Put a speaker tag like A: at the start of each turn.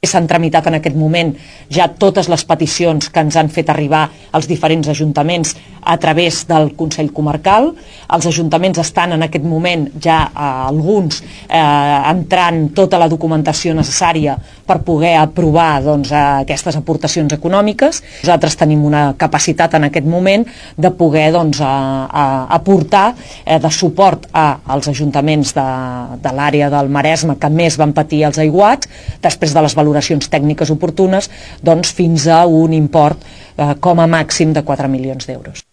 A: S'han tramitat en aquest moment ja totes les peticions que ens han fet arribar als diferents ajuntaments a través del Consell Comarcal. Els ajuntaments estan en aquest moment ja alguns entrant tota la documentació necessària per poder aprovar aquestes aportacions econòmiques. Nosaltres tenim una capacitat en aquest moment de poder aportar de suport als ajuntaments de l'àrea del Maresme que més van patir els aiguats, després de les valoracions tècniques oportunes, fins a un import com a màxim de 4 milions d'euros.